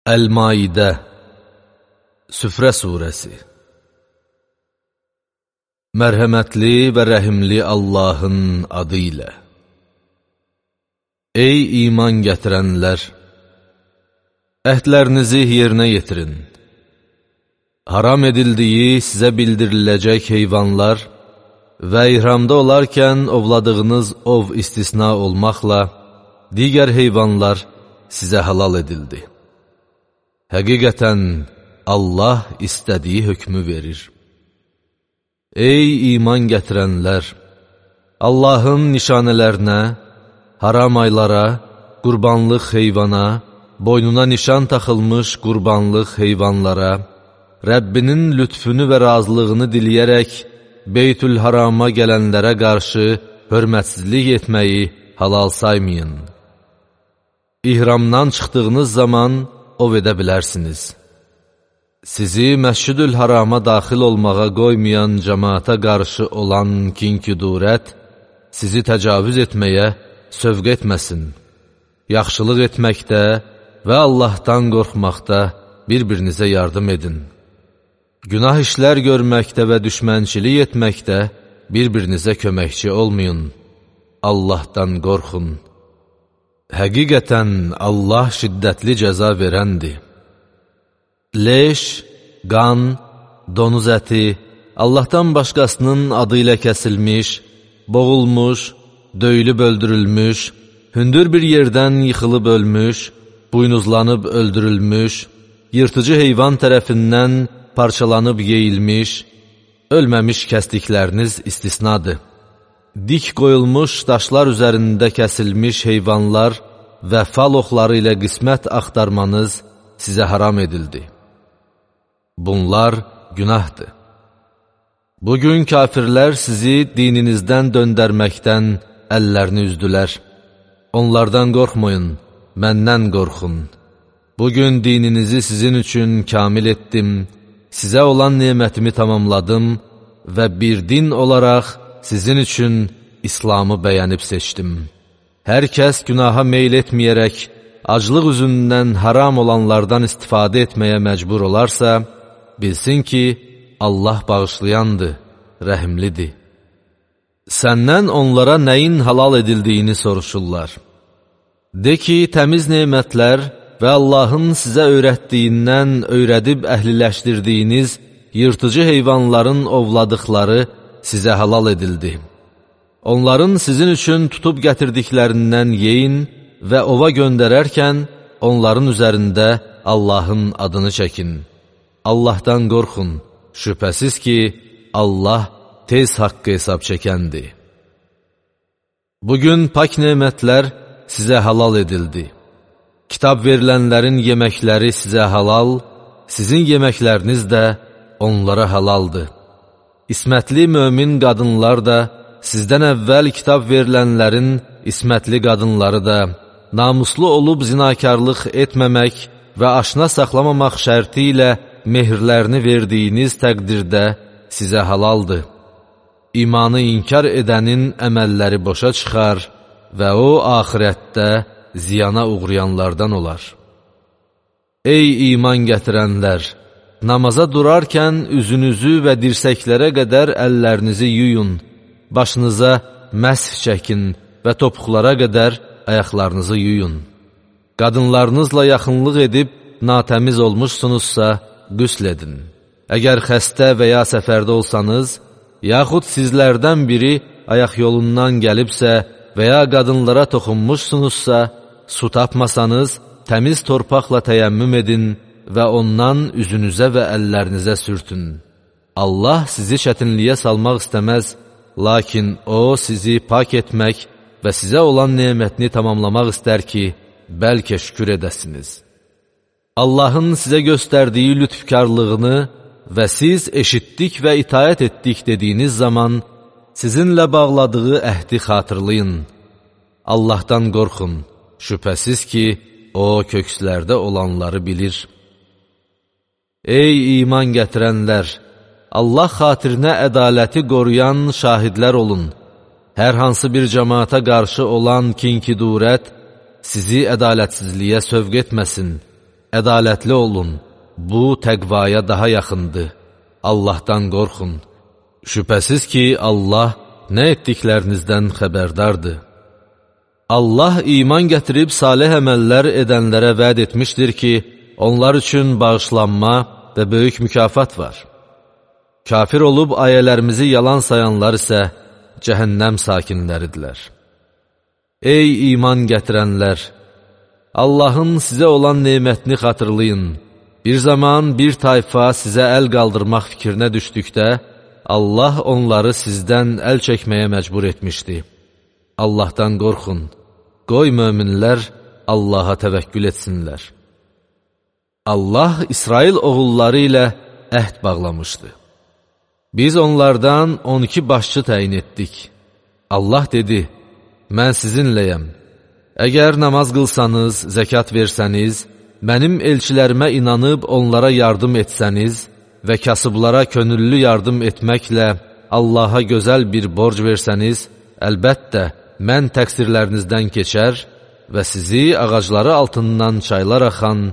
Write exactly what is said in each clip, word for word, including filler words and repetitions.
Əl-Maidə Süfrə surəsi. Mərhəmətli və rəhimli Allahın adı ilə. Ey iman gətirənlər! Əhdlərinizi yerinə yetirin. Haram edildiyi sizə bildiriləcək heyvanlar və ihramda olarkən ovladığınız ov istisna olmaqla digər heyvanlar sizə halal edildi. Həqiqətən, Allah istədiyi hökmü verir. Ey iman gətirənlər! Allahın nişanələrinə, haram aylara, qurbanlıq heyvana, boynuna nişan taxılmış qurbanlıq heyvanlara, Rəbbinin lütfünü və razılığını diləyərək Beytül-Harama gələnlərə qarşı hörmətsizlik etməyi halal saymayın. İhramdan çıxdığınız zaman ov edə bilərsiniz. Sizi Məscid-ül-Harama daxil olmağa qoymayan cəmaata qarşı olan kin-küdurət sizi təcavüz etməyə sövq etməsin. Yaxşılıq etməkdə və Allahdan qorxmaqda bir-birinizə yardım edin. Günah işlər görməkdə və düşmənçilik etməkdə bir-birinizə köməkçi olmayın. Allahdan qorxun. Həqiqətən Allah şiddətli cəza verəndir. Leş, qan, donuz əti, Allahdan başqasının adı ilə kəsilmiş, boğulmuş, döyülüb öldürülmüş, hündür bir yerdən yıxılıb ölmüş, buynuzlanıb öldürülmüş, yırtıcı heyvan tərəfindən parçalanıb yeyilmiş, ölməmiş kəsdikləriniz istisnadır. Dik qoyulmuş daşlar üzərində kəsilmiş heyvanlar və fal oxları ilə qismət axtarmanız sizə haram edildi. Bunlar günahdır. Bugün kafirlər sizi dininizdən döndərməkdən əllərini üzdülər. Onlardan qorxmayın, məndən qorxun. Bugün dininizi sizin üçün kamil etdim, sizə olan nemətimi tamamladım və bir din olaraq sizin üçün İslamı bəyənib seçdim. Hər kəs günaha meyl etməyərək, aclıq üzündən haram olanlardan istifadə etməyə məcbur olarsa, bilsin ki, Allah bağışlayandır, rəhimlidir. Səndən onlara nəyin halal edildiyini soruşurlar. De ki, təmiz nemətlər və Allahın sizə öyrətdiyindən öyrədib əhliləşdirdiyiniz yırtıcı heyvanların ovladıqları sizə halal edildi. Onların sizin üçün tutub gətirdiklərindən yeyin və ova göndərərkən onların üzərində Allahın adını çəkin. Allahdan qorxun, şübhəsiz ki, Allah tez haqqı hesab çəkəndir. Bugün pak nemətlər sizə halal edildi. Kitab verilənlərin yeməkləri sizə halal, sizin yeməkləriniz də onlara halaldır. İsmətli mömin qadınlar da, sizdən əvvəl kitab verilənlərin ismətli qadınları da, namuslu olub zinakarlıq etməmək və aşna saxlamamaq şərti ilə mehirlərini verdiyiniz təqdirdə sizə halaldır. İmanı inkar edənin əməlləri boşa çıxar və o, axirətdə ziyana uğrayanlardan olar. Ey iman gətirənlər! Namaza durarkən üzünüzü və dirsəklərə qədər əllərinizi yuyun, başınıza məsh çəkin və topuqlara qədər ayaqlarınızı yuyun. Qadınlarınızla yaxınlıq edib natəmiz olmuşsunuzsa, qüsl edin. Əgər xəstə və ya səfərdə olsanız, yaxud sizlərdən biri ayaq yolundan gəlibsə və ya qadınlara toxunmuşsunuzsa, su tapmasanız, təmiz torpaqla təyəmmüm edin və ondan üzünüzə və əllərinizə sürtün. Allah sizi çətinliyə salmaq istəməz, lakin O sizi pak etmək və sizə olan nemətini tamamlamaq istər ki, bəlkə şükür edəsiniz. Allahın sizə göstərdiyi lütfkarlığını və siz eşitdik və itayət etdik dediyiniz zaman, sizinlə bağladığı əhdi xatırlayın. Allahdan qorxun, şübhəsiz ki, O kökslərdə olanları bilir. Ey iman gətirənlər! Allah xatirinə ədaləti qoruyan şahidlər olun. Hər hansı bir cəmaata qarşı olan kin-küdurət sizi ədalətsizliyə sövq etməsin. ədalətli olun, bu təqvaya daha yaxındır, Allahdan qorxun. Şübhəsiz ki, Allah nə etdiklərinizdən xəbərdardır. Allah iman gətirib salih əməllər edənlərə vəd etmişdir ki, onlar üçün bağışlanma və böyük mükafat var. Kafir olub ayələrimizi yalan sayanlar isə cəhənnəm sakinləridirlər. Ey iman gətirənlər! Allahın sizə olan nemətini xatırlayın. Bir zaman bir tayfa sizə əl qaldırmaq fikrinə düşdükdə, Allah onları sizdən əl çəkməyə məcbur etmişdi. Allahdan qorxun, qoy möminlər Allaha təvəkkül etsinlər. Allah İsrail oğulları ilə əhd bağlamışdı. Biz onlardan on iki başçı təyin etdik. Allah dedi, mən sizinləyəm. Əgər namaz qılsanız, zəkat versəniz, mənim elçilərimə inanıb onlara yardım etsəniz və kasıblara könüllü yardım etməklə Allaha gözəl bir borc versəniz, əlbəttə, mən təqsirlərinizdən keçər və sizi ağacları altından çaylar axan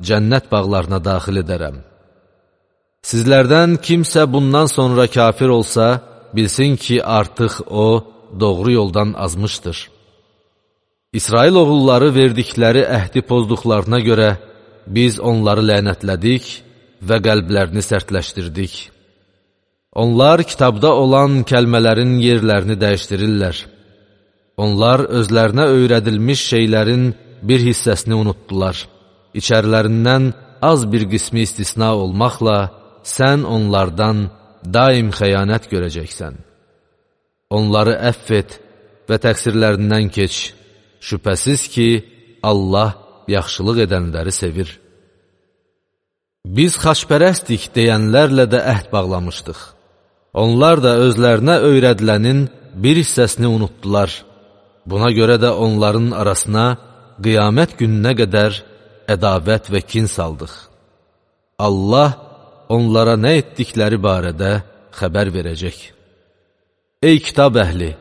cənnət bağlarına daxil edərəm. Sizlərdən kimsə bundan sonra kafir olsa, bilsin ki, artıq o, doğru yoldan azmışdır. İsrail oğulları verdikləri əhdi pozduqlarına görə biz onları lənətlədik və qəlblərini sərtləşdirdik. Onlar kitabda olan kəlmələrin yerlərini dəyişdirirlər. Onlar özlərinə öyrədilmiş şeylərin bir hissəsini unutdular. İçərilərindən az bir qismi istisna olmaqla sən onlardan daim xəyanət görəcəksən. Onları əff et və təqsirlərindən keç. Şübhəsiz ki, Allah yaxşılıq edənləri sevir. Biz xaçpərəstik deyənlərlə də əhd bağlamışdıq. Onlar da özlərinə öyrədilənin bir hissəsini unutdular. Buna görə də onların arasına qiyamət gününə qədər ədavət və kin saldıq. Allah onlara nə etdikləri barədə xəbər verəcək. Ey kitab əhli!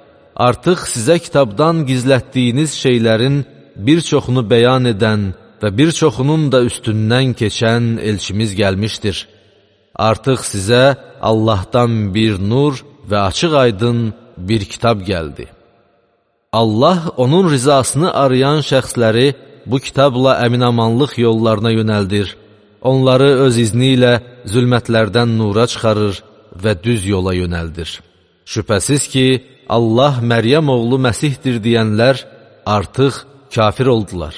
Artıq sizə kitabdan gizlətdiyiniz şeylərin bir çoxunu bəyan edən və bir çoxunun da üstündən keçən elçimiz gəlmişdir. Artıq sizə Allahdan bir nur və açıq aydın bir kitab gəldi. Allah onun rizasını arayan şəxsləri bu kitabla əminamanlıq yollarına yönəldir. Onları öz izni ilə zülmətlərdən nura çıxarır və düz yola yönəldir. Şübhəsiz ki, Allah Məryəm oğlu Məsihdir deyənlər artıq kafir oldular.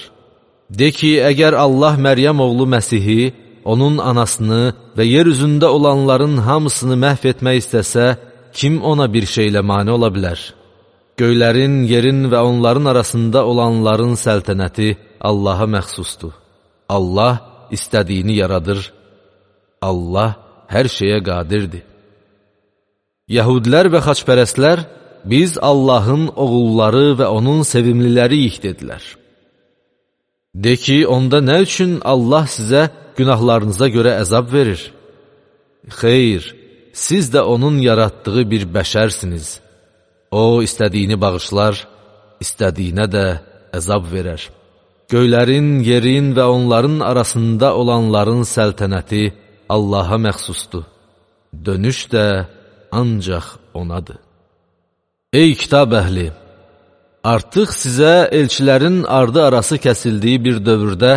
De ki, əgər Allah Məryəm oğlu Məsihi, onun anasını və yer üzündə olanların hamısını məhv etmək istəsə, kim ona bir şeylə mane ola bilər? Göylərin, yerin və onların arasında olanların səltənəti Allaha məxsusdur. Allah istədiyini yaradır. Allah hər şeyə qadirdir. Yəhudlər və xaçpərəstlər, biz Allahın oğulları və onun sevimliləriyik dedilər. De ki, onda nə üçün Allah sizə günahlarınıza görə əzab verir? Xeyr, siz də onun yaratdığı bir bəşərsiniz. O, istədiyini bağışlar, istədiyinə də əzab verər. Göylərin, yerin və onların arasında olanların səltənəti Allaha məxsusdur. Dönüş də ancaq onadır. Ey kitab əhli! Artıq sizə elçilərin ardı arası kəsildiyi bir dövrdə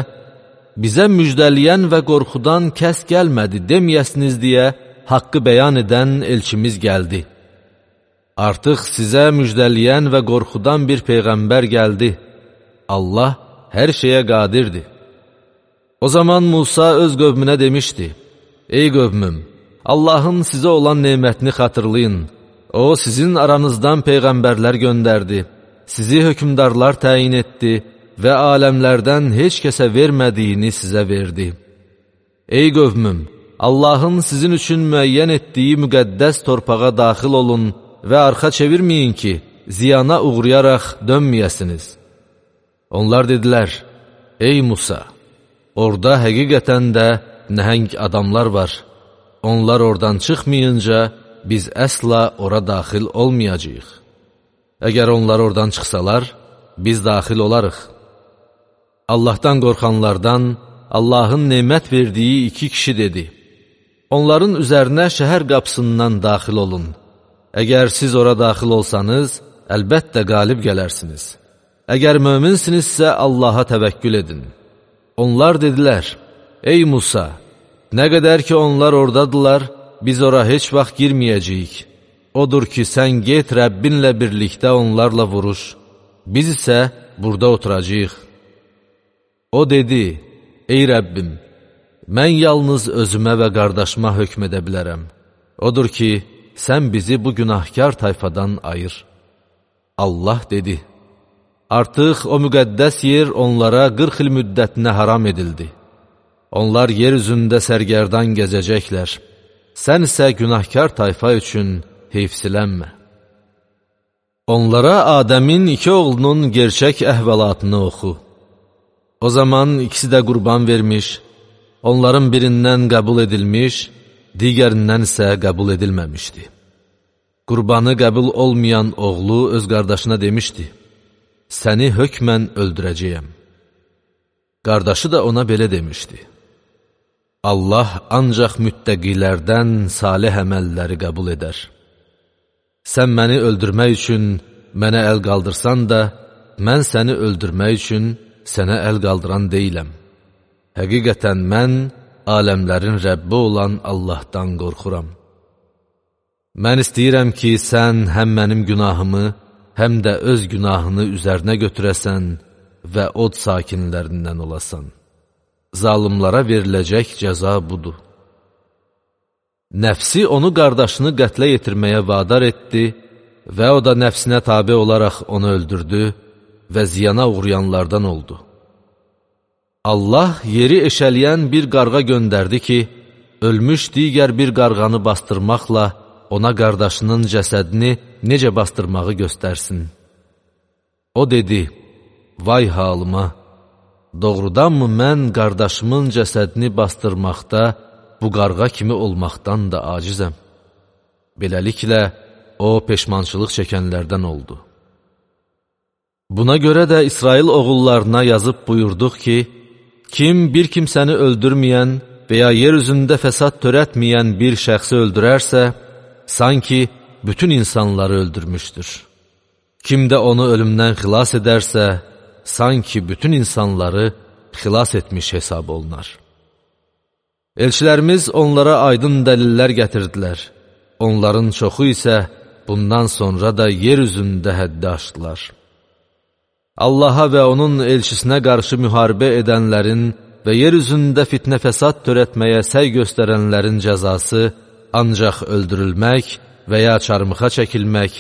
bizə müjdəliyən və qorxudan kəs gəlmədi deməyəsiniz deyə haqqı bəyan edən elçimiz gəldi. Artıq sizə müjdəliyən və qorxudan bir peyğəmbər gəldi. Allah hər şeyə qadirdir. O zaman Musa öz qövmünə demişdi, ey qövmüm, Allahın sizə olan nemətini xatırlayın. O, sizin aranızdan peyğəmbərlər göndərdi, sizi hökümdarlar təyin etdi və aləmlərdən heç kəsə vermədiyini sizə verdi. Ey qövmüm, Allahın sizin üçün müəyyən etdiyi müqəddəs torpağa daxil olun və arxa çevirməyin ki, ziyana uğrayaraq dönməyəsiniz. Onlar dedilər, ey Musa, orada həqiqətən də nəhəng adamlar var. Onlar oradan çıxmayınca biz əsla ora daxil olmayacağıq. Əgər onlar oradan çıxsalar, biz daxil olarıq. Allahdan qorxanlardan Allahın nemət verdiyi iki kişi dedi: onların üzərinə şəhər qapısından daxil olun. Əgər siz ora daxil olsanız, əlbəttə qalib gələrsiniz. Əgər möminsinizsə Allaha təvəkkül edin. Onlar dedilər: ey Musa, nə qədər ki onlar oradadılar, biz ora heç vaxt girməyəcəyik. Odur ki, sən get Rəbbinlə birlikdə onlarla vuruş, biz isə burada oturacağıq. O dedi: ey Rəbbim, mən yalnız özümə və qardaşıma hökm edə bilərəm. Odur ki, sən bizi bu günahkar tayfadan ayır. Allah dedi: artıq o müqəddəs yer onlara qırx il müddətinə haram edildi. Onlar yer üzündə sərgərdan gəzəcəklər. Sən isə günahkar tayfa üçün heyfsilənmə. Onlara Adəmin iki oğlunun gerçək əhvalatını oxu. O zaman ikisi də qurban vermiş, onların birindən qəbul edilmiş, digərindən isə qəbul edilməmişdi. Qurbanı qəbul olmayan oğlu öz qardaşına demişdi: səni hökmən öldürəcəyəm. Qardaşı da ona belə demişdi: Allah ancaq müttəqilərdən salih əməlləri qəbul edər. Sən məni öldürmək üçün mənə əl qaldırsan da, mən səni öldürmək üçün sənə əl qaldıran deyiləm. Həqiqətən mən aləmlərin Rəbbi olan Allahdan qorxuram. Mən istəyirəm ki, sən həm mənim günahımı, həm də öz günahını üzərinə götürəsən və od sakinlərindən olasan. Zalımlara veriləcək cəza budur. Nəfsi onu qardaşını qətlə yetirməyə vadar etdi və o da nəfsinə tabe olaraq onu öldürdü və ziyana uğrayanlardan oldu. Allah yeri eşələyən bir qarğa göndərdi ki, ölmüş digər bir qarğanı bastırmaqla ona qardaşının cəsədini necə bastırmağı göstərsin. O dedi: vay halıma! Doğrudanmı mən qardaşımın cəsədini bastırmaqda bu qarğa kimi olmaqdan da acizəm? Beləliklə, o peşmançılıq çəkənlərdən oldu. Buna görə də İsrail oğullarına yazıb buyurduq ki, kim bir kimsəni öldürməyən və ya yer üzündə fəsad törətməyən bir şəxsi öldürərsə, sanki bütün insanları öldürmüşdür. Kim də onu ölümdən xilas edərsə, sanki bütün insanları xilas etmiş hesab olunar. Elçilərimiz onlara aydın dəlillər gətirdilər. Onların çoxu isə bundan sonra da yer üzündə həddi aşdılar. Allaha və onun elçisinə qarşı müharibə edənlərin və yer üzündə fitnə fəsad törətməyə səy göstərənlərin cəzası ancaq öldürülmək və ya çarmıxa çəkilmək,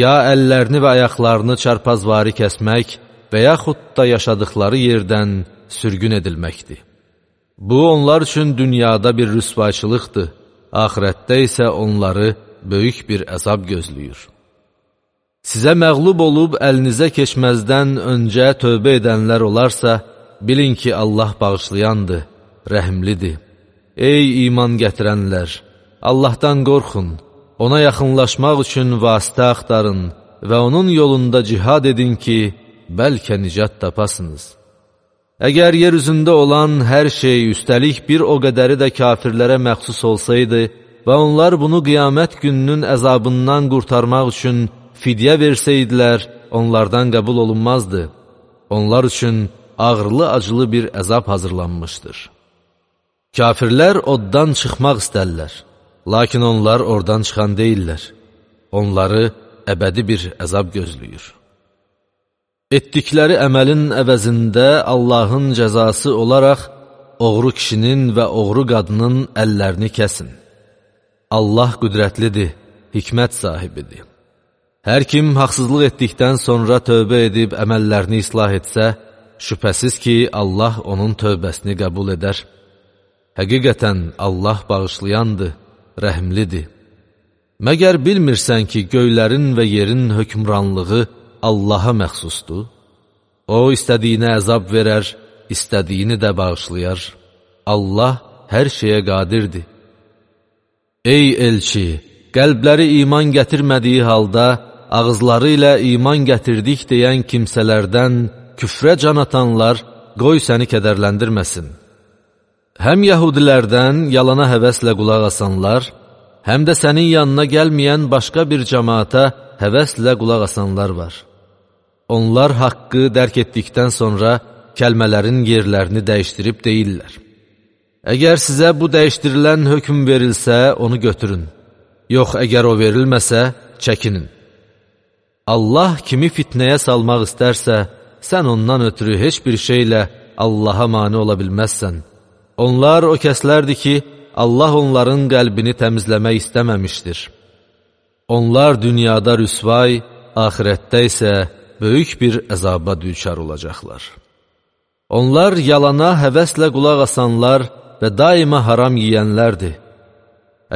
ya əllərini və ayaqlarını çarpazvari kəsmək və yaxud da yaşadıkları yerdən sürgün edilməkdir. Bu, onlar üçün dünyada bir rüsvayçılıqdır, axirətdə isə onları böyük bir əzab gözləyir. Sizə məğlub olub əlinizə keçməzdən öncə tövbə edənlər olarsa, bilin ki, Allah bağışlayandır, rəhimlidir. Ey iman gətirənlər! Allahdan qorxun, ona yaxınlaşmaq üçün vasitə axtarın və onun yolunda cihad edin ki, bəlkə nicat tapasınız. Əgər yer üzündə olan hər şey, üstəlik bir o qədəri də kafirlərə məxsus olsaydı və onlar bunu qiyamət gününün əzabından qurtarmaq üçün fidyə versəydilər, onlardan qəbul olunmazdı. Onlar üçün ağırlı-acılı bir əzab hazırlanmışdır. Kafirlər oddan çıxmaq istərlər, lakin onlar oradan çıxan deyirlər. Onları əbədi bir əzab gözləyir. Etdikləri əməlin əvəzində Allahın cəzası olaraq oğru kişinin və oğru qadının əllərini kəsin. Allah qüdrətlidir, hikmət sahibidir. Hər kim haqsızlıq etdikdən sonra tövbə edib əməllərini islah etsə, şübhəsiz ki, Allah onun tövbəsini qəbul edər. Həqiqətən Allah bağışlayandır, rəhimlidir. Məgər bilmirsən ki, göylərin və yerin hökmranlığı Allaha məxsusdur? O, istədiyinə əzab verər, istədiyini də bağışlayar. Allah hər şeyə qadirdir. Ey elçi, qəlbləri iman gətirmədiyi halda, ağızları ilə iman gətirdik deyən kimsələrdən küfrə can atanlar, qoy səni kədərləndirməsin. Həm yəhudilərdən yalana həvəslə qulaq asanlar, həm də sənin yanına gəlməyən başqa bir cəmaata həvəslə qulaq asanlar var. Onlar haqqı dərk etdikdən sonra kəlmələrin yerlərini dəyişdirib deyirlər. Əgər sizə bu dəyişdirilən hökm verilsə, onu götürün. Yox, əgər o verilməsə, çəkinin. Allah kimi fitnəyə salmaq istərsə, sən ondan ötürü heç bir şeylə Allaha mane ola bilməzsən. Onlar o kəslərdir ki, Allah onların qəlbini təmizləmək istəməmişdir. Onlar dünyada rüsvay, axirətdə isə böyük bir əzaba düçar olacaqlar. Onlar yalana həvəslə qulaq asanlar və daima haram yiyənlərdir.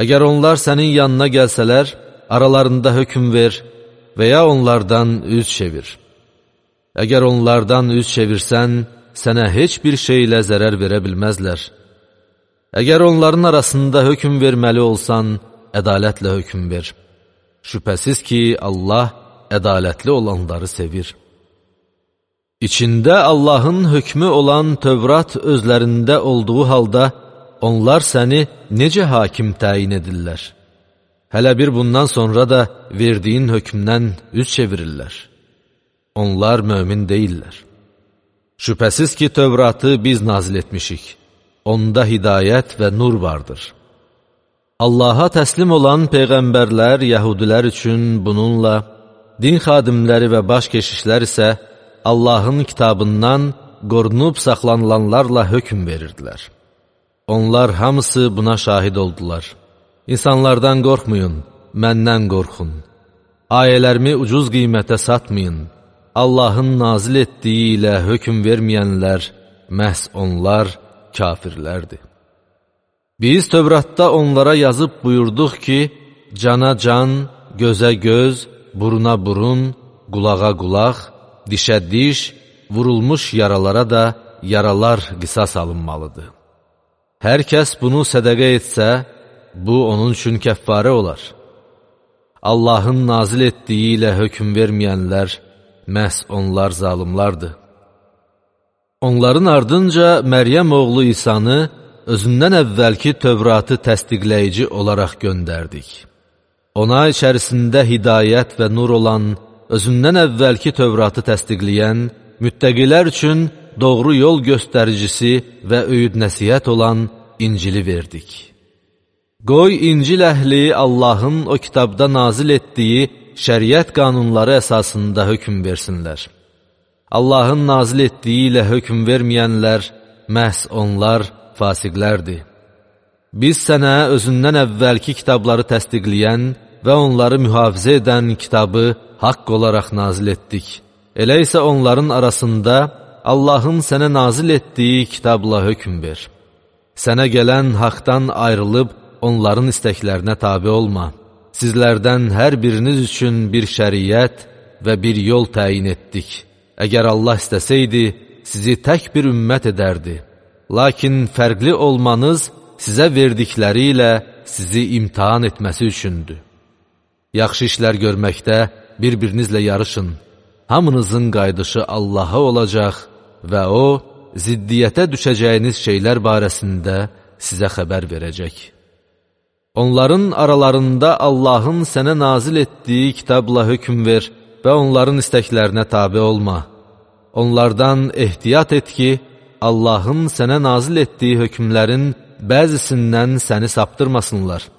Əgər onlar sənin yanına gəlsələr, aralarında hökm ver və ya onlardan üz çevir. Əgər onlardan üz çevirsən, sənə heç bir şeylə zərər verə bilməzlər. Əgər onların arasında hökm verməli olsan, ədalətlə hökm ver. Şübhəsiz ki, Allah ədalətli olanları sevir. İçində Allahın hökmü olan Tövrat özlərində olduğu halda, onlar səni necə hakim təyin edirlər? Hələ bir bundan sonra da verdiyin hökmdən üz çevirirlər. Onlar mömin deyirlər. Şübhəsiz ki, Tövratı biz nazil etmişik. Onda hidayət və nur vardır. Allaha təslim olan peyğəmbərlər yəhudilər üçün bununla, din xadimləri və baş keşişlər isə Allahın kitabından qorunub saxlanılanlarla hökm verirdilər. Onlar hamısı buna şahid oldular. İnsanlardan qorxmayın, məndən qorxun. Ayələrimi ucuz qiymətə satmayın. Allahın nazil etdiyi ilə hökm verməyənlər, məhz onlar kafirlərdir. Biz Tövratda onlara yazıb buyurduq ki, cana can, gözə göz, buruna burun, qulağa qulaq, dişə diş, vurulmuş yaralara da yaralar qisas alınmalıdır. Hər kəs bunu sədəqə etsə, bu onun üçün kəffarə olar. Allahın nazil etdiyi ilə hökm verməyənlər, məhz onlar zalimlardır. Onların ardınca Məryəm oğlu İsanı özündən əvvəlki Tövratı təsdiqləyici olaraq göndərdik. Ona içərisində hidayət və nur olan, özündən əvvəlki Tövratı təsdiqləyən, müttəqilər üçün doğru yol göstəricisi və öyüd nəsihət olan İncili verdik. Qoy İncil əhli Allahın o kitabda nazil etdiyi şəriət qanunları əsasında hökm versinlər. Allahın nazil etdiyi ilə hökm verməyənlər, məhz onlar fasiqlərdir. Biz sənə özündən əvvəlki kitabları təsdiqləyən və onları mühafizə edən kitabı haqq olaraq nazil etdik. Elə isə onların arasında Allahın sənə nazil etdiyi kitabla hökm ver. Sənə gələn haqdan ayrılıb onların istəklərinə tabi olma. Sizlərdən hər biriniz üçün bir şəriət və bir yol təyin etdik. Əgər Allah istəsəydi, sizi tək bir ümmət edərdi. Lakin fərqli olmanız sizə verdikləri ilə sizi imtihan etməsi üçündür. Yaxşı işlər görməkdə bir-birinizlə yarışın. Hamınızın qayıdışı Allaha olacaq və O, ziddiyyətə düşəcəyiniz şeylər barəsində sizə xəbər verəcək. Onların aralarında Allahın sənə nazil etdiyi kitabla hökm ver və onların istəklərinə tabi olma. Onlardan ehtiyat et ki, Allahın sənə nazil etdiyi hökmlərin bəzisindən səni saptırmasınlar.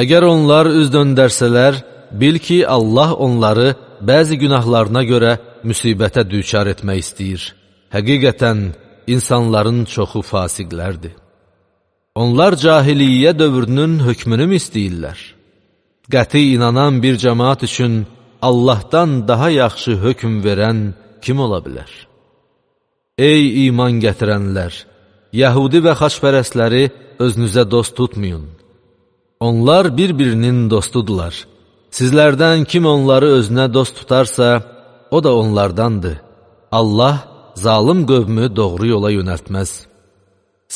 Əgər onlar üz döndərsələr, bil ki, Allah onları bəzi günahlarına görə müsibətə düçar etmək istəyir. Həqiqətən, insanların çoxu fasiqlərdir. Onlar cahiliyyə dövrünün hökmünü mü istəyirlər? Qəti inanan bir cəmaat üçün Allahdan daha yaxşı hökm verən kim ola bilər? Ey iman gətirənlər! Yəhudi və xaçpərəstləri özünüzə dost tutmayın. Onlar bir-birinin dostudular. Sizlərdən kim onları özünə dost tutarsa, o da onlardandır. Allah zalım qövmü doğru yola yönəltməz.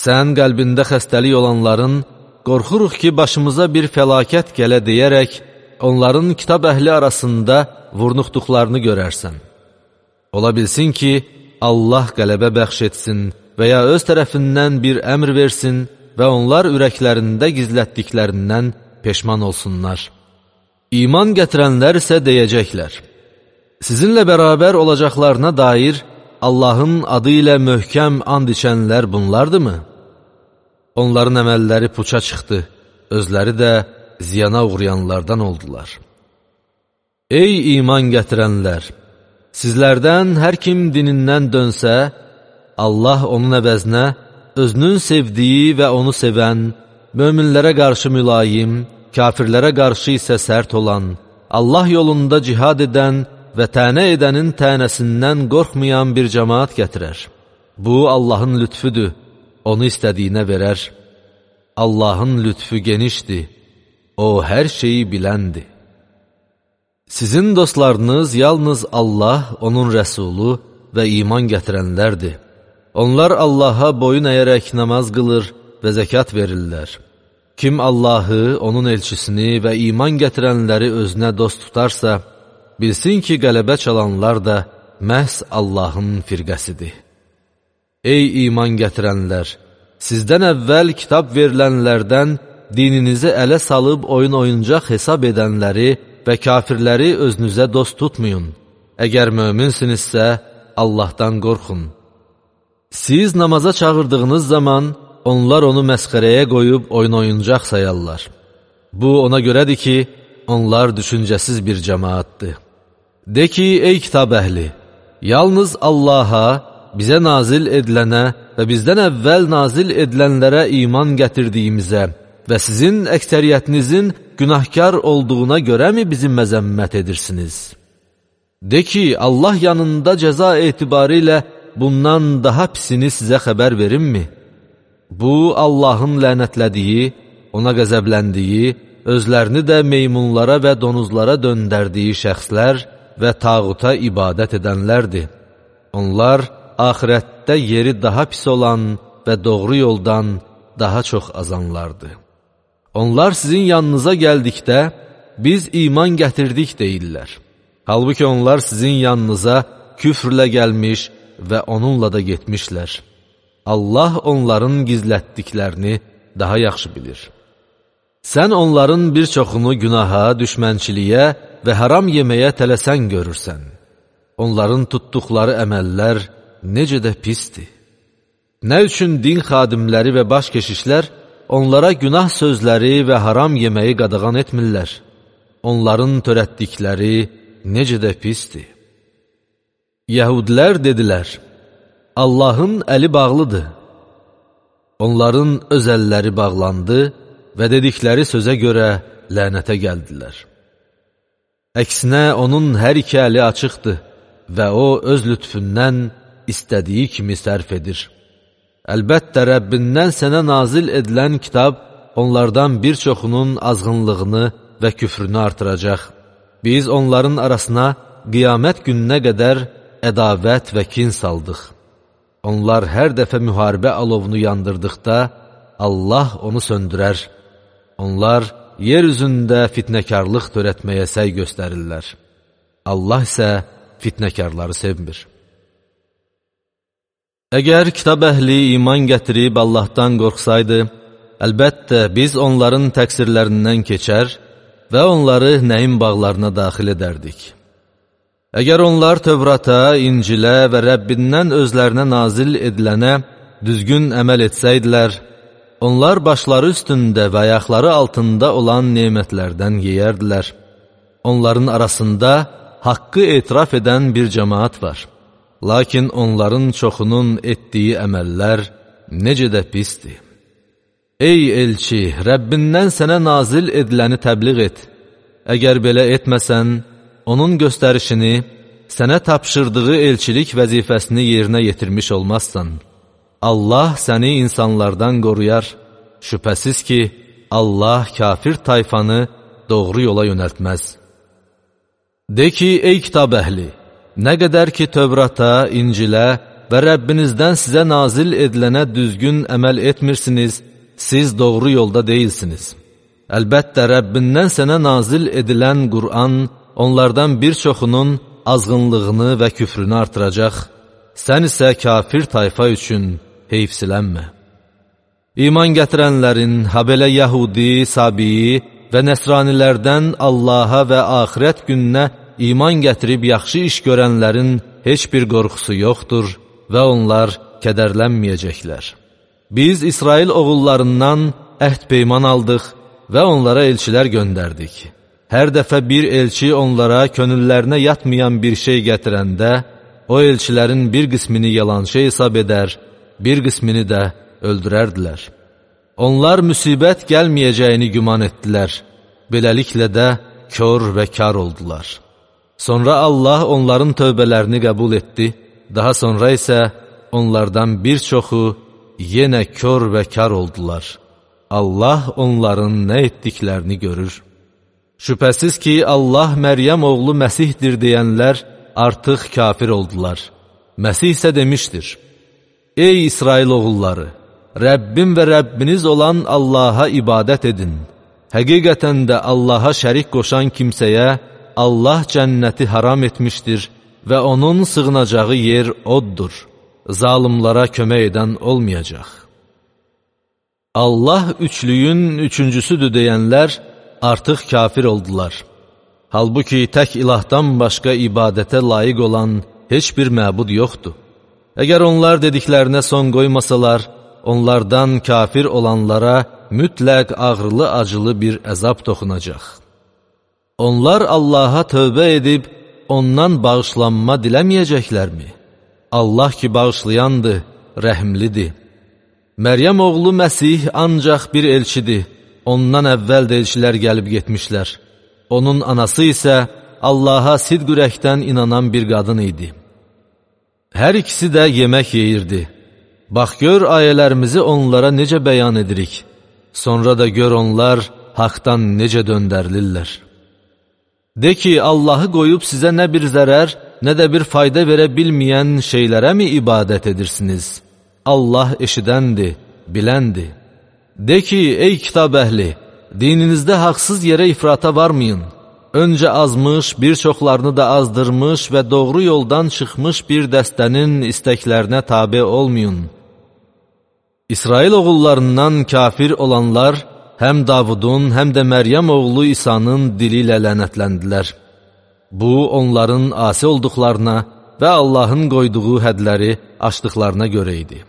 Sən qəlbində xəstəlik olanların, qorxuruq ki, başımıza bir fəlakət gələ deyərək, onların kitab əhli arasında vurnuxduqlarını görərsən. Ola bilsin ki, Allah qələbə bəxş etsin və ya öz tərəfindən bir əmr versin və onlar ürəklərində gizlətdiklərindən peşman olsunlar. İman gətirənlər isə deyəcəklər: sizinlə bərabər olacaqlarına dair Allahın adı ilə möhkəm and içənlər bunlardırmı? Onların əməlləri puça çıxdı, özləri də ziyana uğrayanlardan oldular. Ey iman gətirənlər! Sizlərdən hər kim dinindən dönsə, Allah onun əvəzinə özünün sevdiyi və onu sevən, möminlərə qarşı mülayim, kafirlərə qarşı isə sərt olan, Allah yolunda cihad edən və tənə edənin tənəsindən qorxmayan bir cəmaat gətirər. Bu, Allahın lütfüdür, onu istədiyinə verər. Allahın lütfü genişdir, o hər şeyi biləndir. Sizin dostlarınız yalnız Allah, onun rəsulu və iman gətirənlərdir. Onlar Allaha boyun əyərək namaz qılır və zəkat verirlər. Kim Allahı, onun elçisini və iman gətirənləri özünə dost tutarsa, bilsin ki, qələbə çalanlar da məhz Allahın firqəsidir. Ey iman gətirənlər! Sizdən əvvəl kitab verilənlərdən dininizi ələ salıb oyun oyuncaq hesab edənləri və kafirləri özünüzə dost tutmayın. Əgər möminsinizsə, Allahdan qorxun. Siz namaza çağırdığınız zaman onlar onu məsxərəyə qoyub oyun oyuncaq sayarlar. Bu, ona görədir ki, onlar düşüncəsiz bir cəmaatdır. De ki, ey kitab əhli, yalnız Allaha, bizə nazil edilənə və bizdən əvvəl nazil edilənlərə iman gətirdiyimizə və sizin əksəriyyətinizin günahkar olduğuna görəmi bizi məzəmmət edirsiniz? De ki, Allah yanında cəza etibarı ilə bundan daha pisini sizə xəbər verimmi? Bu, Allahın lənətlədiyi, ona qəzəbləndiyi, özlərini də meymunlara və donuzlara döndərdiyi şəxslər və tağuta ibadət edənlərdir. Onlar axirətdə yeri daha pis olan və doğru yoldan daha çox azanlardır. Onlar sizin yanınıza gəldikdə, biz iman gətirdik deyirlər. Halbuki onlar sizin yanınıza küfrlə gəlmiş və onunla da getmişlər. Allah onların gizlətdiklərini daha yaxşı bilir. Sən onların bir çoxunu günaha, düşmənçiliyə və haram yeməyə tələsən görürsən. Onların tutduqları əməllər necə də pisdir. Nə üçün din xadimləri və baş keşişlər onlara günah sözləri və haram yeməyi qadağan etmirlər? Onların törətdikləri necə də pisdir. Yəhudlər dedilər: Allahın əli bağlıdır. Onların öz əlləri bağlandı və dedikləri sözə görə lənətə gəldilər. Əksinə, onun hər iki əli açıqdır və o, öz lütfündən istədiyi kimi sərf edir. Əlbəttə, Rəbbindən sənə nazil edilən kitab onlardan bir çoxunun azğınlığını və küfrünü artıracaq. Biz onların arasına qiyamət gününə qədər ədavət və kin saldıq. Onlar hər dəfə müharibə alovunu yandırdıqda, Allah onu söndürər. Onlar yer üzündə fitnəkarlıq törətməyə səy göstərirlər. Allah isə fitnəkarları sevmir. Əgər kitab əhli iman gətirib Allahdan qorxsaydı, əlbəttə biz onların təqsirlərindən keçər və onları nəyin bağlarına daxil edərdik. Əgər onlar Tövrata, İncilə və Rəbbindən özlərinə nazil edilənə düzgün əməl etsəydilər, onlar başları üstündə və ayaqları altında olan nemətlərdən yeyərdilər. Onların arasında haqqı etiraf edən bir cəmaat var. Lakin onların çoxunun etdiyi əməllər necə də pisdir. Ey elçi, Rəbbindən sənə nazil ediləni təbliğ et. Əgər belə etməsən, onun göstərişini, sənə tapşırdığı elçilik vəzifəsini yerinə yetirmiş olmazsan. Allah səni insanlardan qoruyar. Şübhəsiz ki, Allah kafir tayfanı doğru yola yönəltməz. De ki, ey kitab əhli, nə qədər ki Tövrata, İncilə və Rəbbinizdən sizə nazil edilənə düzgün əməl etmirsiniz, siz doğru yolda deyilsiniz. Əlbəttə, Rəbbindən sənə nazil edilən Qur'an onlardan bir çoxunun azğınlığını və küfrünü artıracaq. Sən isə kafir tayfa üçün heyfsilənmə. İman gətirənlərin, habelə Yahudi, Sabiyi və Nəsranilərdən Allaha və axirət gününə iman gətirib yaxşı iş görənlərin heç bir qorxusu yoxdur və onlar kədərlənməyəcəklər. Biz İsrail oğullarından əhd peyman aldıq və onlara elçilər göndərdik. Hər dəfə bir elçi onlara könüllərinə yatmayan bir şey gətirəndə, o elçilərin bir qismini yalançı hesab edər, bir qismini də öldürərdilər. Onlar müsibət gəlməyəcəyini güman etdilər. Beləliklə də kör və kar oldular. Sonra Allah onların tövbələrini qəbul etdi. Daha sonra isə onlardan bir çoxu yenə kör və kar oldular. Allah onların nə etdiklərini görür. Şübhəsiz ki, Allah Məryəm oğlu Məsihdir deyənlər artıq kafir oldular. Məsih isə demişdir: Ey İsrail oğulları! Rəbbim və Rəbbiniz olan Allaha ibadət edin. Həqiqətən də Allaha şərik qoşan kimsəyə Allah cənnəti haram etmişdir və onun sığınacağı yer oddur. Zalimlara kömək edən olmayacaq. Allah üçlüyün üçüncüsüdür deyənlər artıq kafir oldular. Halbuki tək ilahdan başqa ibadətə layiq olan heç bir məbud yoxdur. Əgər onlar dediklərinə son qoymasalar, onlardan kafir olanlara mütləq ağrılı-acılı bir əzab toxunacaq. Onlar Allaha tövbə edib, ondan bağışlanma diləməyəcəklərmi? Allah ki, bağışlayandır, rəhimlidir. Məryəm oğlu Məsih ancaq bir elçidir. Ondan əvvəl də elçilər gəlib getmişlər. Onun anası isə Allaha sidq ürəkdən inanan bir qadın idi. Hər ikisi də yemək yeyirdi. Bax gör ayələrimizi onlara necə bəyan edirik. Sonra da gör onlar haqdan necə döndərilirlər. De ki, Allahı qoyub sizə nə bir zərər, nə də bir fayda verə bilməyən şeylərə mi ibadət edirsiniz? Allah eşidəndir, biləndir. De ki, ey kitab əhli, dininizdə haqsız yerə ifrata varmayın. Öncə azmış, bir çoxlarını da azdırmış və doğru yoldan çıxmış bir dəstənin istəklərinə tabe olmayın. İsrail oğullarından kafir olanlar həm Davudun, həm də Məryəm oğlu İsa'nın dili ilə lənətləndilər. Bu, onların asi olduqlarına və Allahın qoyduğu hədləri aşdıqlarına görə idi.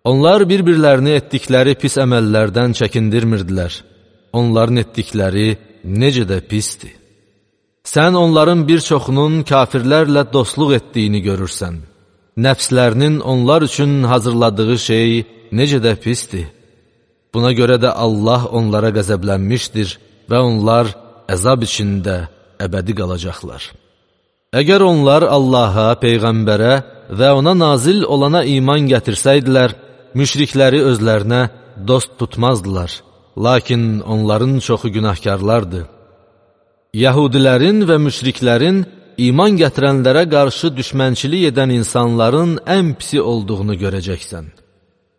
Onlar bir-birlərini etdikləri pis əməllərdən çəkindirmirdilər. Onların etdikləri necə də pisdir. Sən onların bir çoxunun kafirlərlə dostluq etdiyini görürsən. Nəfslərinin onlar üçün hazırladığı şey necə də pisdir. Buna görə də Allah onlara qəzəblənmişdir və onlar əzab içində əbədi qalacaqlar. Əgər onlar Allaha, Peyğəmbərə və ona nazil olana iman gətirsəydilər, müşrikləri özlərinə dost tutmazdılar. Lakin onların çoxu günahkarlardır. Yahudilərin və müşriklərin iman gətirənlərə qarşı düşmənçilik edən insanların ən pisi olduğunu görəcəksən.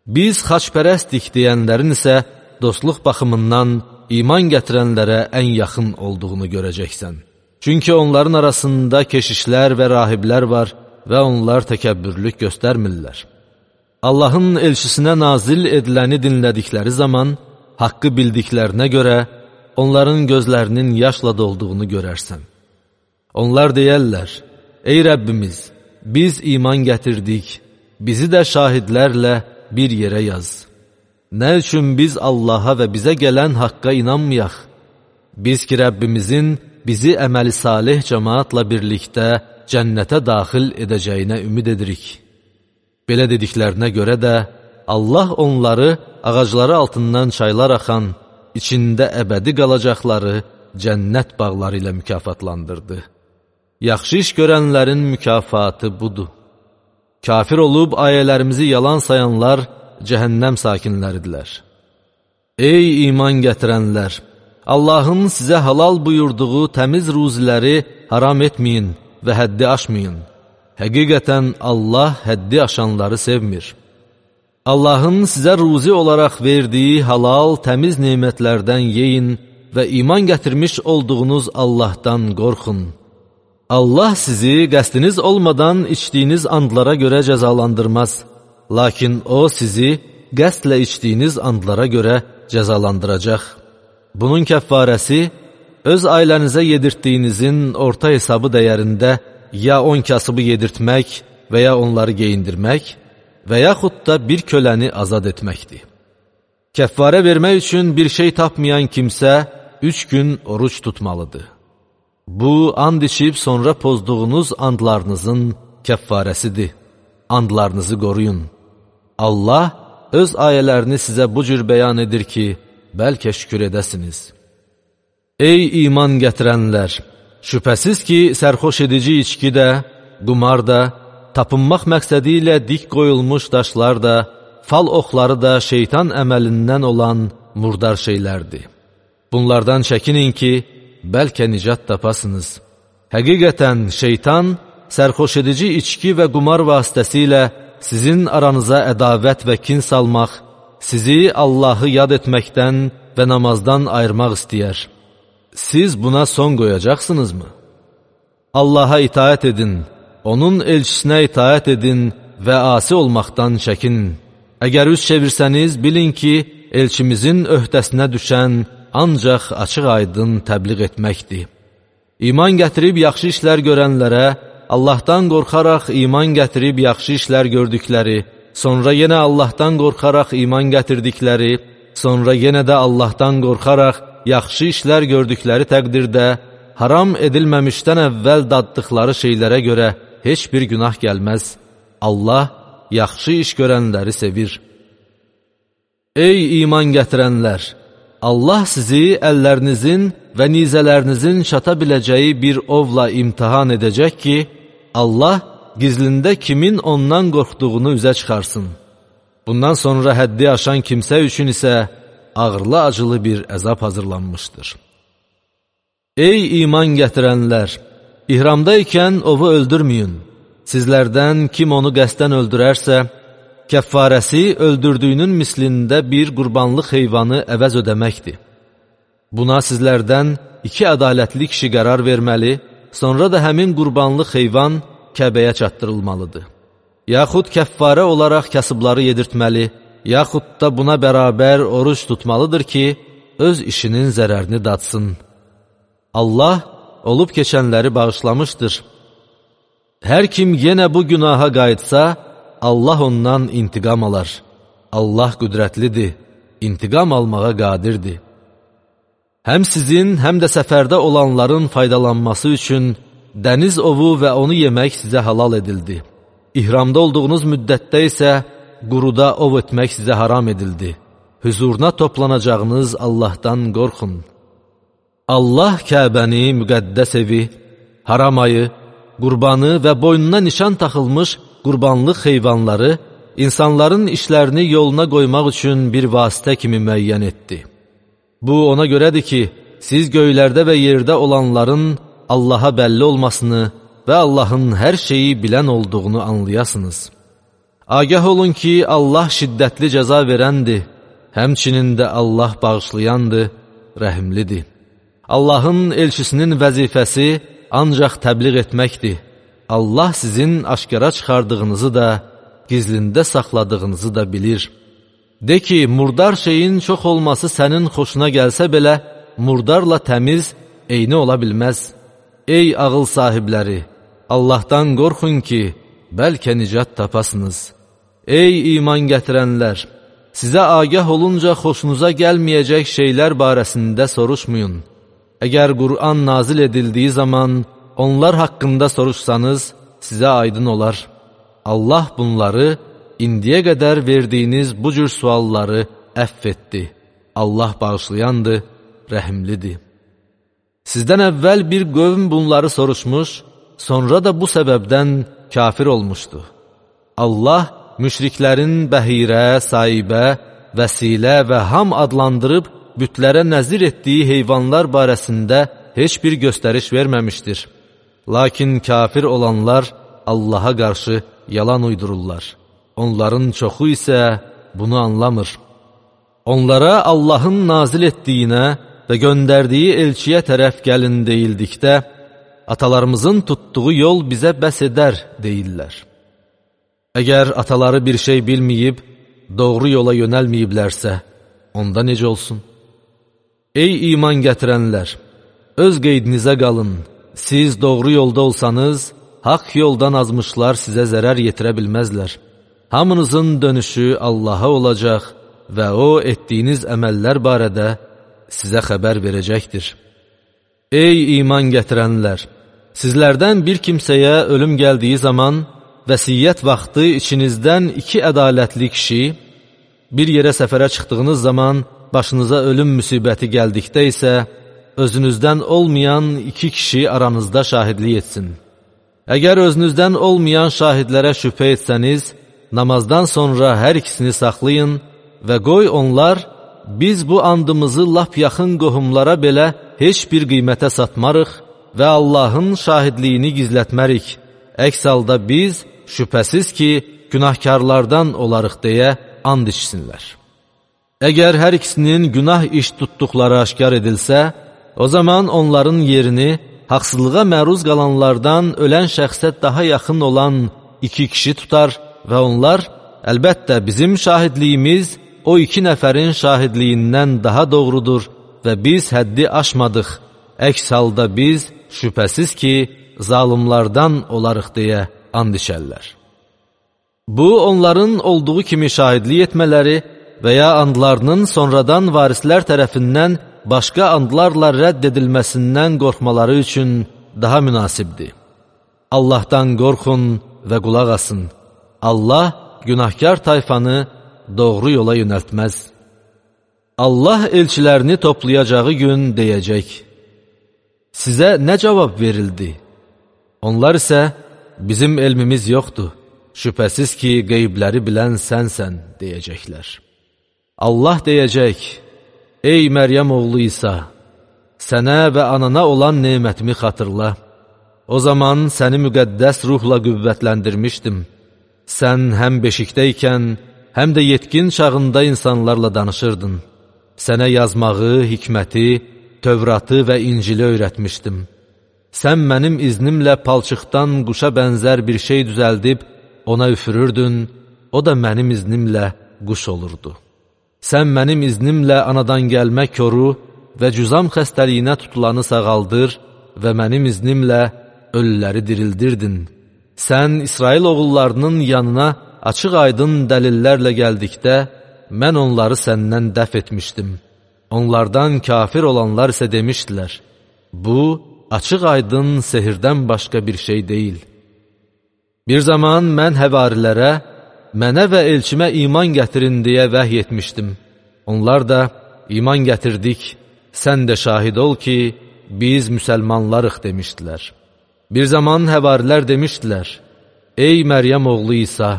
Biz xaçpərəstik deyənlərin isə dostluq baxımından iman gətirənlərə ən yaxın olduğunu görəcəksən. Çünki onların arasında keşişlər və rahiblər var və onlar təkəbbürlük göstərmirlər. Allahın elçisinə nazil ediləni dinlədikləri zaman, haqqı bildiklərinə görə onların gözlərinin yaşla dolduğunu görərsən. Onlar deyərlər: Ey Rəbbimiz, biz iman gətirdik, bizi də şahidlərlə bir yerə yaz. Nə üçün biz Allaha və bizə gələn haqqa inanmayaq? Biz ki, Rəbbimizin bizi əməli salih cəmaatla birlikdə cənnətə daxil edəcəyinə ümid edirik. Belə dediklərinə görə də Allah onları ağacları altından çaylar axan, içində əbədi qalacaqları cənnət bağları ilə mükafatlandırdı. Yaxşı iş görənlərin mükafatı budur. Kafir olub ayələrimizi yalan sayanlar cəhənnəm sakinləridirlər. Ey iman gətirənlər! Allahın sizə halal buyurduğu təmiz ruziləri haram etməyin və həddi aşmayın. Həqiqətən Allah həddi aşanları sevmir. Allahın sizə ruzi olaraq verdiyi halal, təmiz nemətlərdən yeyin və iman gətirmiş olduğunuz Allahdan qorxun. Allah sizi qəsdiniz olmadan içdiyiniz andlara görə cəzalandırmaz. lakin o sizi qəsdlə içdiyiniz andlara görə cəzalandıracaq. Bunun kəffarəsi, öz ailənizə yedirtdiyinizin orta hesabı dəyərində ya on kasıbı yedirtmək və ya onları geyindirmək və yaxud da bir köləni azad etməkdir. Kəffarə vermək üçün bir şey tapmayan kimsə üç gün oruç tutmalıdır. Bu, and içib sonra pozduğunuz andlarınızın kəffarəsidir. Andlarınızı qoruyun. Allah öz ayələrini sizə bu cür bəyan edir ki, bəlkə şükür edəsiniz. Ey iman gətirənlər! Şübhəsiz ki, sərxoş edici içki də, qumar da, tapınmaq məqsədi ilə dik qoyulmuş daşlar da, fal oxları da şeytan əməlindən olan murdar şeylərdir. Bunlardan çəkinin ki, bəlkə nicat tapasınız. Həqiqətən şeytan, sərxoş edici içki və qumar vasitəsilə sizin aranıza ədavət və kin salmaq, sizi Allahı yad etməkdən və namazdan ayırmaq istəyər. Siz buna son qoyacaqsınızmı? Allaha itaət edin, onun elçisinə itaət edin və asi olmaqdan çəkinin. Əgər üz çevirsəniz, bilin ki, elçimizin öhdəsinə düşən ancaq açıq-aydın təbliğ etməkdir. İman gətirib yaxşı işlər görənlərə, Allahdan qorxaraq iman gətirib yaxşı işlər gördükləri, sonra yenə Allahdan qorxaraq iman gətirdikləri, sonra yenə də Allahdan qorxaraq yaxşı işlər gördükləri təqdirdə, haram edilməmişdən əvvəl daddıqları şeylərə görə heç bir günah gəlməz. Allah yaxşı iş görənləri sevir. Ey iman gətirənlər! Allah sizi əllərinizin və nizələrinizin çata biləcəyi bir ovla imtihan edəcək ki, Allah gizlində kimin ondan qorxduğunu üzə çıxarsın. Bundan sonra həddi aşan kimsə üçün isə ağırlı-acılı bir əzab hazırlanmışdır. Ey iman gətirənlər! İhramda ikən ovu öldürməyin. Sizlərdən kim onu qəsdən öldürərsə, kəffarəsi öldürdüyünün mislində bir qurbanlıq heyvanı əvəz ödəməkdir. Buna sizlərdən iki ədalətli kişi qərar verməli, sonra da həmin qurbanlıq heyvan Kəbəyə çatdırılmalıdır. Yaxud kəffarə olaraq kasıbları yedirtməli, yaxud da buna bərabər oruç tutmalıdır ki, öz işinin zərərini datsın. Allah olub keçənləri bağışlamışdır. Hər kim yenə bu günaha qayıtsa, Allah ondan intiqam alar. Allah qüdrətlidir, intiqam almağa qadirdir. Həm sizin, həm də səfərdə olanların faydalanması üçün dəniz ovu və onu yemək sizə halal edildi. İhramda olduğunuz müddətdə isə quruda ov etmək sizə haram edildi. Hüzuruna toplanacağınız Allahdan qorxun. Allah Kəbəni, müqəddəs evi, haram ayı, qurbanı və boynuna nişan taxılmış qurbanlıq heyvanları insanların işlərini yoluna qoymaq üçün bir vasitə kimi müəyyən etdi. Bu ona görədir ki, siz göylərdə və yerdə olanların Allaha bəlli olmasını və Allahın hər şeyi bilən olduğunu anlayasınız. Agah olun ki, Allah şiddətli cəza verəndir, həmçinin də Allah bağışlayandır, rəhimlidir. Allahın elçisinin vəzifəsi ancaq təbliğ etməkdir. Allah sizin aşkara çıxardığınızı da, gizlində saxladığınızı da bilir. De ki, murdar şeyin çox olması sənin xoşuna gəlsə belə, murdarla təmiz eyni ola bilməz. Ey ağıl sahibləri, Allahdan qorxun ki, bəlkə nicat tapasınız. Ey iman gətirənlər, sizə agah olunca xoşunuza gəlməyəcək şeylər barəsində soruşmayın. Əgər Qur'an nazil edildiyi zaman onlar haqqında soruşsanız, sizə aydın olar. Allah bunları indiyə qədər verdiyiniz bu cür sualları əff etdi. Allah bağışlayandır, rəhimlidir. Sizdən əvvəl bir qövm bunları soruşmuş, sonra da bu səbəbdən kafir olmuşdu. Allah müşriklərin bəhirə, saibə, vəsilə və ham adlandırıb bütlərə nəzir etdiyi heyvanlar barəsində heç bir göstəriş verməmişdir. Lakin kafir olanlar Allaha qarşı yalan uydururlar. Onların çoxu isə bunu anlamır. Onlara Allahın nazil etdiyinə və göndərdiyi elçiyə tərəf gəlin deyildikdə, atalarımızın tutduğu yol bizə bəs edər deyirlər. Əgər ataları bir şey bilməyib, doğru yola yönəlməyiblərsə, onda necə olsun? Ey iman gətirənlər! Öz qeydinizə qalın. Siz doğru yolda olsanız, haqq yoldan azmışlar sizə zərər yetirə bilməzlər. Hamınızın dönüşü Allaha olacaq və O, etdiyiniz əməllər barədə sizə xəbər verəcəkdir. Ey iman gətirənlər! Sizlərdən bir kimsəyə ölüm gəldiyi zaman, vəsiyyət vaxtı içinizdən iki ədalətli kişi, bir yerə səfərə çıxdığınız zaman başınıza ölüm müsibəti gəldikdə isə, özünüzdən olmayan iki kişi aranızda şahidlik etsin. Əgər özünüzdən olmayan şahidlərə şübhə etsəniz, namazdan sonra hər ikisini saxlayın və qoy onlar, biz bu andımızı lap yaxın qohumlara belə heç bir qiymətə satmarıq və Allahın şahidliyini gizlətmərik. Əks halda biz, şübhəsiz ki, günahkarlardan olarıq deyə and içsinlər. Əgər hər ikisinin günah iş tutduqları aşkar edilsə, o zaman onların yerini haqsızlığa məruz qalanlardan ölən şəxsə daha yaxın olan iki kişi tutar və onlar, əlbəttə bizim şahidliyimiz o iki nəfərin şahidliyindən daha doğrudur və biz həddi aşmadıq. Əks halda biz, şübhəsiz ki, zalimlardan olarıq deyə and içərlər. Bu, onların olduğu kimi şahidlik etmələri və ya andlarının sonradan varislər tərəfindən başqa andlarla rədd edilməsindən qorxmaları üçün daha münasibdir. Allahdan qorxun və qulaq asın. Allah günahkar tayfanı doğru yola yönəltməz. Allah elçilərini toplayacağı gün deyəcək: sizə nə cavab verildi? Onlar isə, bizim elmimiz yoxdur, şübhəsiz ki, qeybləri bilən sənsən, deyəcəklər. Allah deyəcək: ey Məryəm oğlu İsa, sənə və anana olan nemətimi xatırla. O zaman səni müqəddəs ruhla qüvvətləndirmişdim. Sən həm beşikdəykən, həm də yetkin çağında insanlarla danışırdın. Sənə yazmağı, hikməti, Tövratı və İncili öyrətmişdim. Sən mənim iznimlə palçıqdan quşa bənzər bir şey düzəldib, ona üfürürdün, o da mənim iznimlə quş olurdu. Sən mənim iznimlə anadan gəlmə koru və cüzam xəstəliyinə tutulanı sağaldır və mənim iznimlə ölüləri dirildirdin. Sən İsrail oğullarının yanına açıq aydın dəlillərlə gəldikdə, mən onları səndən dəf etmişdim. Onlardan kafir olanlar isə demişdilər: bu, açıq aydın sehirdən başqa bir şey deyil. Bir zaman mən həvarilərə, mənə və elçimə iman gətirin deyə vəhy etmişdim. Onlar da, iman gətirdik, sən də şahid ol ki, biz müsəlmanlarıq demişdilər. Bir zaman həvarilər demişdilər: ey Məryəm oğlu İsa,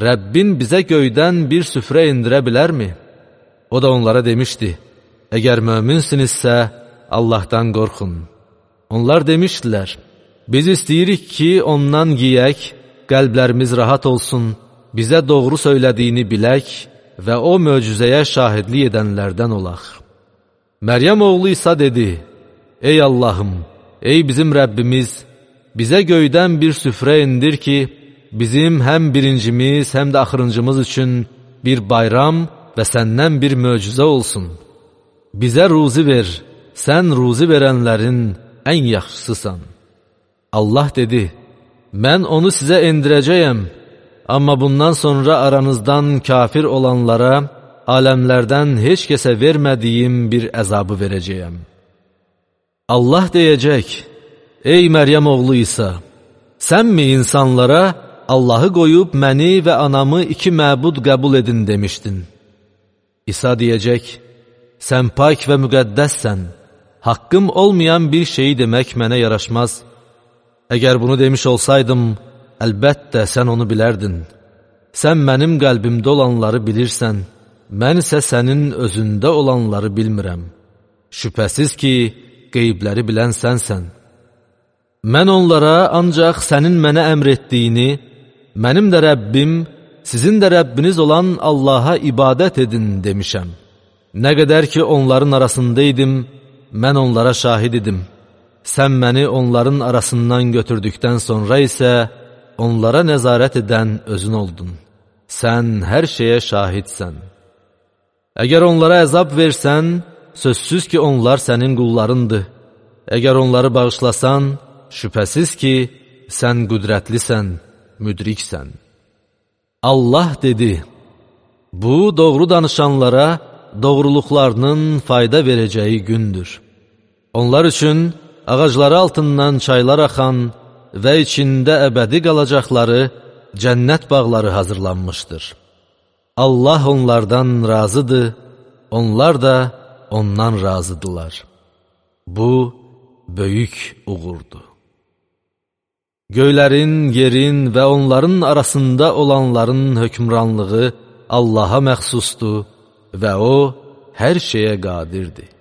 Rəbbin bizə göydən bir süfrə indirə bilərmi? O da onlara demişdi: əgər möminsinizsə, Allahdan qorxun. Onlar demişdilər: biz istəyirik ki, ondan yiyək, qəlblərimiz rahat olsun, bizə doğru söylədiyini bilək və o möcüzəyə şahidlik edənlərdən olaq. Məryəm oğlu İsa dedi: ey Allahım, ey bizim Rəbbimiz, bizə göydən bir süfrə indir ki, bizim həm birincimiz, həm də axırıncımız üçün bir bayram və səndən bir möcüzə olsun. Bizə ruzi ver, sən ruzi verənlərin ən yaxşısısan. Allah dedi: mən onu sizə endirəcəyəm, amma bundan sonra aranızdan kafir olanlara aləmlərdən heç kəsə vermədiyim bir əzabı verəcəyəm. Allah deyəcək: ey Məryəm oğlu İsa, sənmi insanlara Allahı qoyub məni və anamı iki məbud qəbul edin demişdin? İsa deyəcək: sən pak və müqəddəssən, haqqım olmayan bir şeyi demək mənə yaraşmaz. Əgər bunu demiş olsaydım, əlbəttə sən onu bilərdin. Sən mənim qəlbimdə olanları bilirsən, mən isə sənin özündə olanları bilmirəm. Şübhəsiz ki, qeybləri bilən sənsən. Mən onlara ancaq sənin mənə əmr etdiyini, mənim də Rəbbim, sizin də Rəbbiniz olan Allaha ibadət edin demişəm. Nə qədər ki, onların arasındaydım, mən onlara şahid idim. Sən məni onların arasından götürdükdən sonra isə, onlara nəzarət edən özün oldun. Sən hər şeyə şahidsən. Əgər onlara əzab versən, sözsüz ki, onlar sənin qullarındır. Əgər onları bağışlasan, şübhəsiz ki, sən qüdrətlisən, müdriksən. Allah dedi, bu doğru danışanlara doğruluqlarının fayda verəcəyi gündür. Onlar üçün ağacları altından çaylar axan və içində əbədi qalacaqları cənnət bağları hazırlanmışdır. Allah onlardan razıdır, onlar da ondan razıdırlar. Bu, böyük uğurdur. Göylərin, yerin və onların arasında olanların hökmranlığı Allaha məxsusdur və O, hər şeyə qadirdir.